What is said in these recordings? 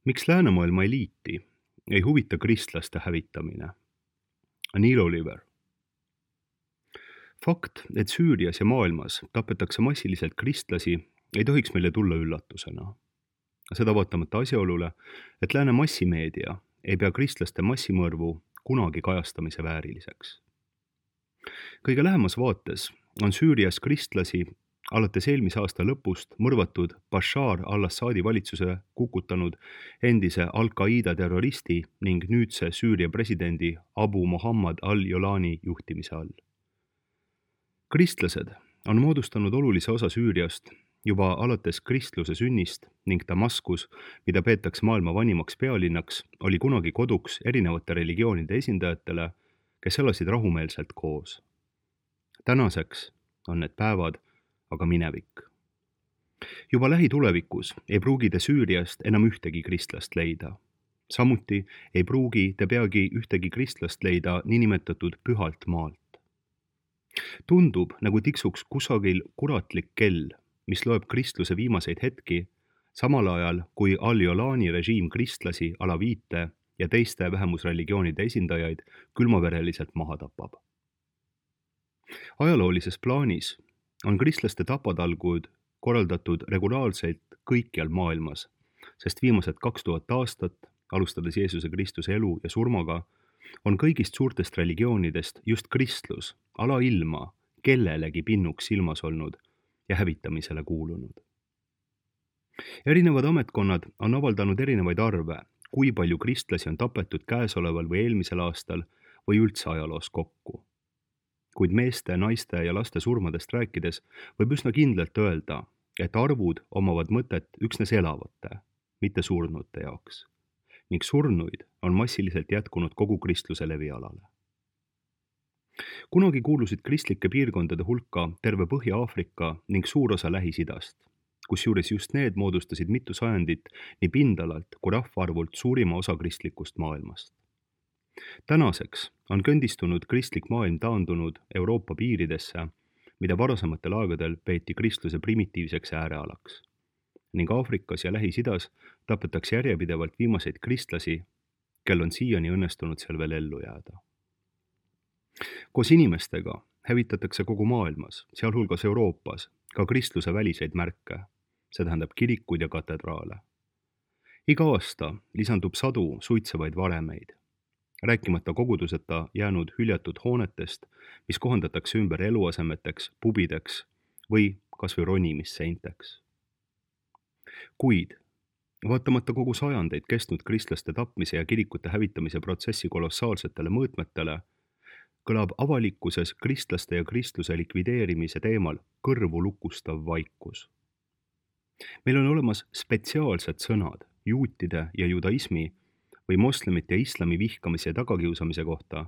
Miks läänemaailma eliiti ei huvita kristlaste hävitamine? Neil Oliver. Fakt, et Süürias ja maailmas tapetakse massiliselt kristlasi, ei tohiks meile tulla üllatusena. Seda vaatamata asjaolule, et lääne massimeedia ei pea kristlaste massimõrvu kunagi kajastamise vääriliseks. Kõige lähemas vaates on Süürias kristlasi alates eelmise aasta lõpust mõrvatud Bashar al-Assadi valitsuse kukutanud endise Al-Qaeda terroristi ning nüüdse Süüria presidendi Abu Muhammad al-Jolani juhtimise all. Kristlased on moodustanud olulise osa Süüriast juba alates kristluse sünnist ning Damaskus, mida peetakse maailma vanimaks pealinnaks, oli kunagi koduks erinevate religioonide esindajatele, kes elasid rahumeelselt koos. Tänaseks on need päevad aga minevik. Juba lähitulevikus ei pruugi te Süüriast enam ühtegi kristlast leida. Samuti ei pruugi te peagi ühtegi kristlast leida niinimetatud pühalt maalt. Tundub, nagu tiksuks kusagil kuratlik kell, mis loeb kristluse viimaseid hetki, samal ajal kui al-Jolani režiim kristlasi, alaviite ja teiste vähemusreligioonide esindajaid külmavereliselt maha tapab. Ajaloolises plaanis on kristlaste tapatalgud korraldatud regulaarselt kõikjal maailmas, sest viimased 2000 aastat, alustades Jeesuse Kristuse elu ja surmaga, on kõigist suurtest religioonidest just kristlus alailma kellelegi pinnuks silmas olnud ja hävitamisele kuulunud. Erinevad ametkonnad on avaldanud erinevaid arve, kui palju kristlasi on tapetud käesoleval või eelmisel aastal või üldse ajaloos kokku. Kuid meeste, naiste ja laste surmadest rääkides võib üsna kindlalt öelda, et arvud omavad mõtet üksnes elavate, mitte surnute jaoks, ning surnuid on massiliselt jätkunud kogu kristluse levialale. Kunagi kuulusid kristlike piirkondade hulka terve Põhja-Aafrika ning suur osa Lähis-Idast, kusjuures just need moodustasid mitu sajandit nii pindalalt kui rahvaarvult suurima osa kristlikust maailmast. Tänaseks on kõndistunud kristlik maailm taandunud Euroopa piiridesse, mida varasematel aegadel peeti kristluse primitiivseks äärealaks. Ning Aafrikas ja Lähis-Idas tapetakse järjepidevalt viimaseid kristlasi, kel on siiani õnnestunud seal veel ellu jääda. Koos inimestega hävitatakse kogu maailmas, sealhulgas Euroopas, ka kristluse väliseid märke, see tähendab kirikuid ja katedraale. Iga aasta lisandub sadu suitsevaid varemeid, rääkimata koguduseta jäänud hüljatud hoonetest, mis kohandatakse ümber eluasemeteks, pubideks või kas või ronimisseinteks. Kuid, vaatamata kogu sajandeid kestnud kristlaste tapmise ja kirikute hävitamise protsessi kolossaalsetele mõõtmetele, kõlab avalikkuses kristlaste ja kristluse likvideerimise teemal kõrvu lukustav vaikus. Meil on olemas spetsiaalsed sõnad juutide ja judaismi või moslemite ja islami vihkamise ja tagakiusamise kohta,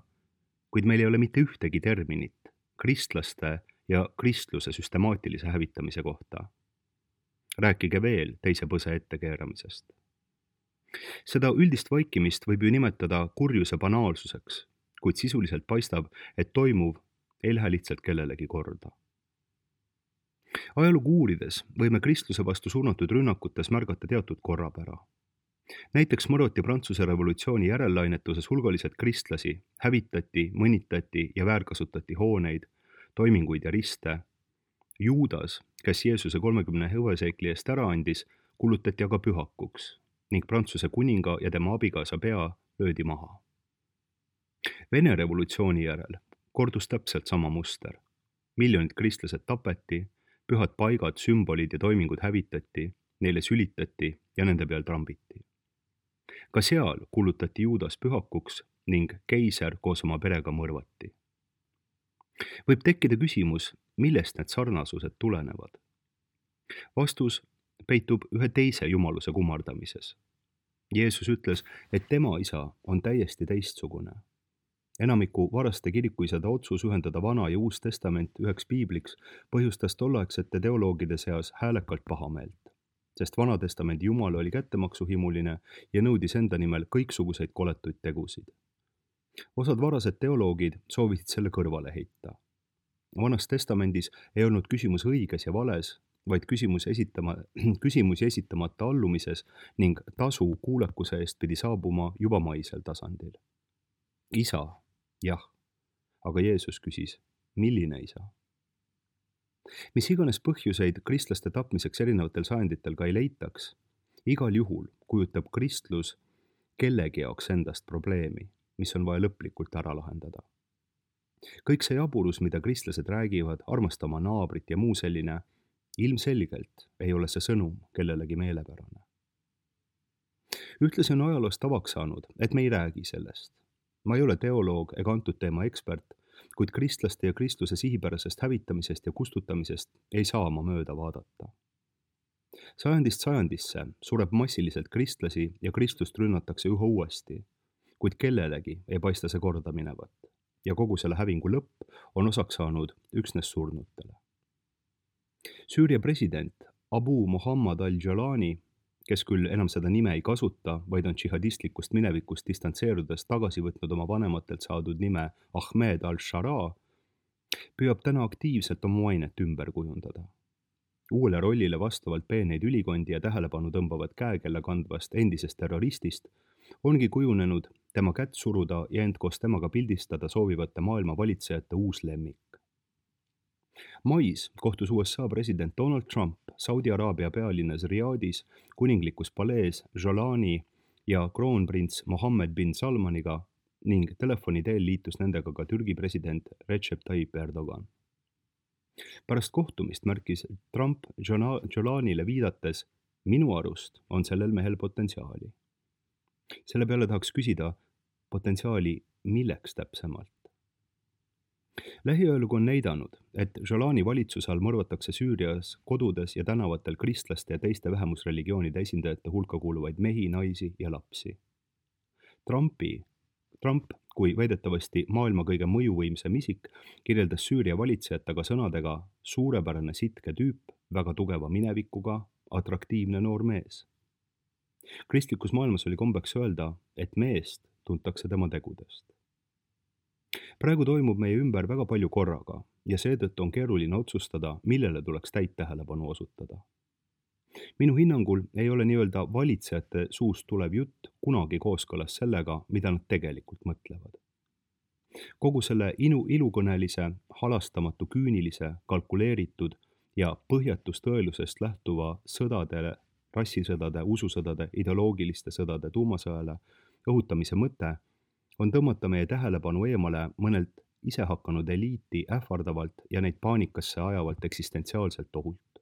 kuid meil ei ole mitte ühtegi terminit kristlaste ja kristluse süstemaatilise hävitamise kohta. Rääkige veel teise põse ettekeeramisest. Seda üldist vaikimist võib ju nimetada kurjuse banaalsuseks, kuid sisuliselt paistab, et toimuv ei lähe lihtsalt kellelegi korda. Ajalugu uurides võime kristluse vastu suunatud rünnakutes märgata teatud korrapära. Näiteks mõrvati Prantsuse revolutsiooni järellainetuses hulgaliselt kristlasi, hävitati, mõnitati ja väärkasutati hooneid, toiminguid ja riste. Juudas, kes Jeesuse 30 hõbeseikli eest ära andis, kuulutati aga pühakuks ning Prantsuse kuninga ja tema abikaasa pea löödi maha. Vene revolutsiooni järel kordus täpselt sama muster. Miljonid kristlased tapeti, pühad paigad, sümbolid ja toimingud hävitati, neile sülitati ja nende peal trambiti. Ka seal kuulutati Juudas pühakuks ning keiser koos oma perega mõrvati. Võib tekkida küsimus, millest need sarnasused tulenevad. Vastus peitub ühe teise jumaluse kummardamises. Jeesus ütles, et tema isa on täiesti teistsugune. Enamiku varaste kirikuisade otsus ühendada Vana ja Uus Testament üheks piibliks põhjustas tolleaegsete teoloogide seas häälekalt pahameelt, sest Vana Testamendi Jumal oli kättemaksuhimuline ja nõudis enda nimel kõiksuguseid koletuid tegusid. Osad varased teoloogid soovisid selle kõrvale heita. Vanas Testamendis ei olnud küsimus õiges ja vales, vaid küsimusi esitamata allumises ning tasu kuulekuse eest pidi saabuma juba maisel tasandil. Isa, jah, aga Jeesus küsis, milline isa? Mis iganes põhjuseid kristlaste tapmiseks erinevatel sajanditel ka ei leitaks, igal juhul kujutab kristlus kellegi jaoks endast probleemi, mis on vaja lõplikult ära lahendada. Kõik see jaburus, mida kristlased räägivad, armasta oma naabrit ja muu selline, ilmselgelt ei ole see sõnum kellelegi meelepärane. Ühtlasi on ajaloos tavaks saanud, et me ei räägi sellest. Ma ei ole teoloog ega antud teema ekspert, kuid kristlaste ja kristluse sihipärasest hävitamisest ja kustutamisest ei saa ma mööda vaadata. Sajandist sajandisse sureb massiliselt kristlasi ja kristlust rünnatakse üha uuesti, kuid kellelegi ei paista see korda minevat ja kogu selle hävingu lõpp on osaks saanud üksnes surnutele. Süüria president Abu Muhammad al-Jalani, kes küll enam seda nime ei kasuta, vaid on džihadistlikust minevikust distantseerudes tagasi võtnud oma vanematelt saadud nime Ahmed al-Shara, püüab täna aktiivselt oma mainet ümber kujundada. Uuele rollile vastavalt peeneid ülikondi ja tähelepanu tõmbavad käekella kandvast endisest terroristist ongi kujunenud tema kätt suruda ja end koos temaga pildistada soovivate maailma valitsejate uus lemmik. Mais kohtus USA president Donald Trump Saudi Araabia pealinnas Riyadis kuninglikus palees Jalani ja kroonprints Mohammed bin Salmaniga ning telefoni teel liitus nendega ka Türgi president Recep Tayyip Erdogan. Pärast kohtumist märkis Trump Jalanile viidates, minu arust on sellel mehel potentsiaali. Selle peale tahaks küsida potentsiaali milleks täpsemalt. Lähiajalugu on näidanud, et Jalani valitsuse all mõrvatakse Süürias kodudes ja tänavatel kristlaste ja teiste vähemusreligioonide esindajate hulka kuuluvaid mehi, naisi ja lapsi. Trump, kui väidetavasti maailma kõige mõjuvõimsam isik, kirjeldas Süüria valitsejat aga sõnadega suurepärane sitke tüüp, väga tugeva minevikuga, atraktiivne noor mees. Kristlikus maailmas oli kombeks öelda, et meest tuntakse tema tegudest. Praegu toimub meie ümber väga palju korraga ja seetõttu on keeruline otsustada, millele tuleks täit tähelepanu osutada. Minu hinnangul ei ole nii-öelda valitsejate suust tulev jutt kunagi kooskõlas sellega, mida nad tegelikult mõtlevad. Kogu selle ilukõnelise, halastamatu, küünilise, kalkuleeritud ja põhjatust tõelusest lähtuva sõdadele, rassisõdade, ususõdade, ideoloogiliste sõdade tuumasõjale õhutamise mõte on tõmmata meie tähelepanu eemale mõnelt isehakanud eliiti ähvardavalt ja neid paanikasse ajavalt eksistentsiaalselt ohult.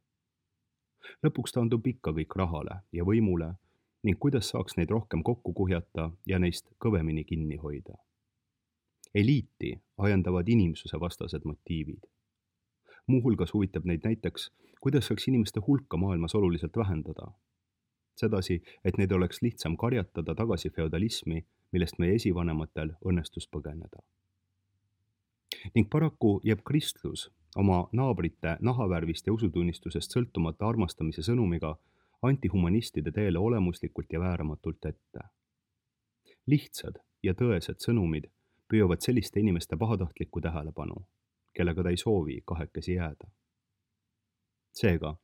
Lõpuks taandub ikka kõik rahale ja võimule ning kuidas saaks neid rohkem kokku kuhjata ja neist kõvemini kinni hoida. Eliiti ajendavad inimsuse vastased motiivid. Muuhulgas huvitab neid näiteks, kuidas saaks inimeste hulka maailmas oluliselt vähendada. Sedasi, et neid oleks lihtsam karjatada tagasi feodalismi, millest meie esivanematel õnnestus põgeneda. Ning paraku jääb kristlus oma naabrite nahavärvist ja usutunnistusest sõltumata armastamise sõnumiga antihumanistide teele olemuslikult ja vääramatult ette. Lihtsad ja tõesed sõnumid püüavad selliste inimeste pahatahtlikku tähelepanu, kellega ta ei soovi kahekesi jääda. Seega,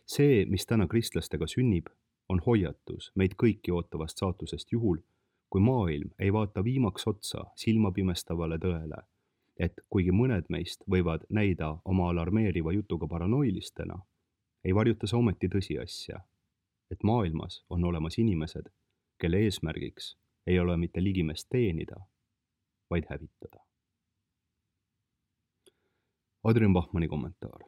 see, mis täna kristlastega sünnib, on hoiatus meid kõiki ootavast saatusest juhul, kui maailm ei vaata viimaks otsa silmapimestavale tõele, et kuigi mõned meist võivad näida oma alarmeeriva jutuga paranoilistena, ei varjuta see ometi tõsiasja, et maailmas on olemas inimesed, kelle eesmärgiks ei ole mitte ligimeest teenida, vaid hävitada. Adrian Bachmanni kommentaar.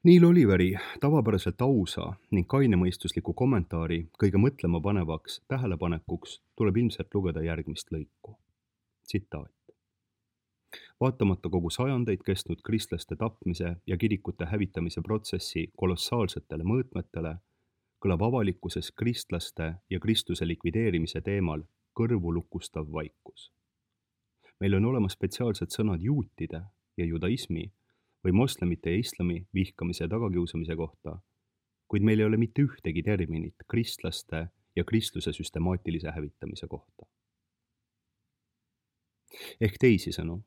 Neil Oliveri tavapäraselt ausa ning kainemõistusliku kommentaari kõige mõtlema panevaks tähelepanekuks tuleb ilmselt lugeda järgmist lõiku. Tsitaat. Vaatamata kogu sajandeid kestnud kristlaste tapmise ja kirikute hävitamise protsessi kolossaalsetele mõõtmetele, kõlab avalikkuses kristlaste ja Kristuse likvideerimise teemal kõrvulukustav vaikus. Meil on olemas spetsiaalsed sõnad juutide ja judaismi või moslemite ja islami vihkamise ja tagakiusamise kohta, kuid meil ei ole mitte ühtegi terminit kristlaste ja kristluse süstemaatilise hävitamise kohta. Ehk teisisõnu,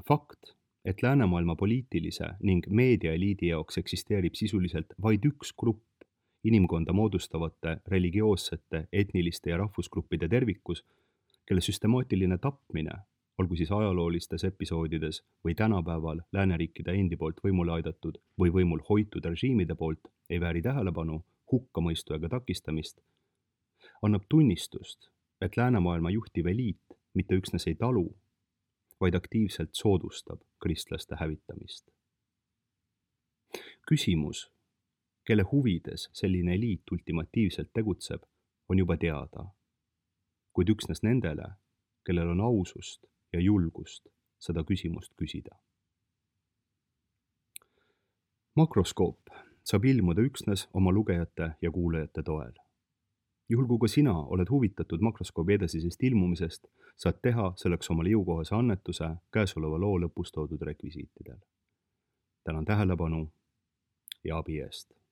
fakt, et läänemaailma poliitilise ning meediaeliidi jaoks eksisteerib sisuliselt vaid üks grupp inimkonda moodustavate religioossete, etniliste ja rahvusgruppide tervikus, kelle süstemaatiline tapmine, olgu siis ajaloolistes episoodides või tänapäeval lääneriikide endi poolt võimule aidatud või võimul hoitud režiimide poolt, ei vääri tähelepanu, hukkamõistu ega takistamist, annab tunnistust, et läänemaailma juhtiv eliit mitte üksnes ei talu, vaid aktiivselt soodustab kristlaste hävitamist. Küsimus, kelle huvides selline eliit ultimatiivselt tegutseb, on juba teada, kuid üksnes nendele, kellel on ausust ja julgust seda küsimust küsida. Makroskoop saab ilmuda üksnes oma lugejate ja kuulajate toel. Juhul kui ka sina oled huvitatud Makroskoobi edasisest ilmumisest, saad teha selleks omale jõukohase annetuse käesoleva loo lõpus toodud rekvisiitidel. Tänan tähelepanu ja abi eest!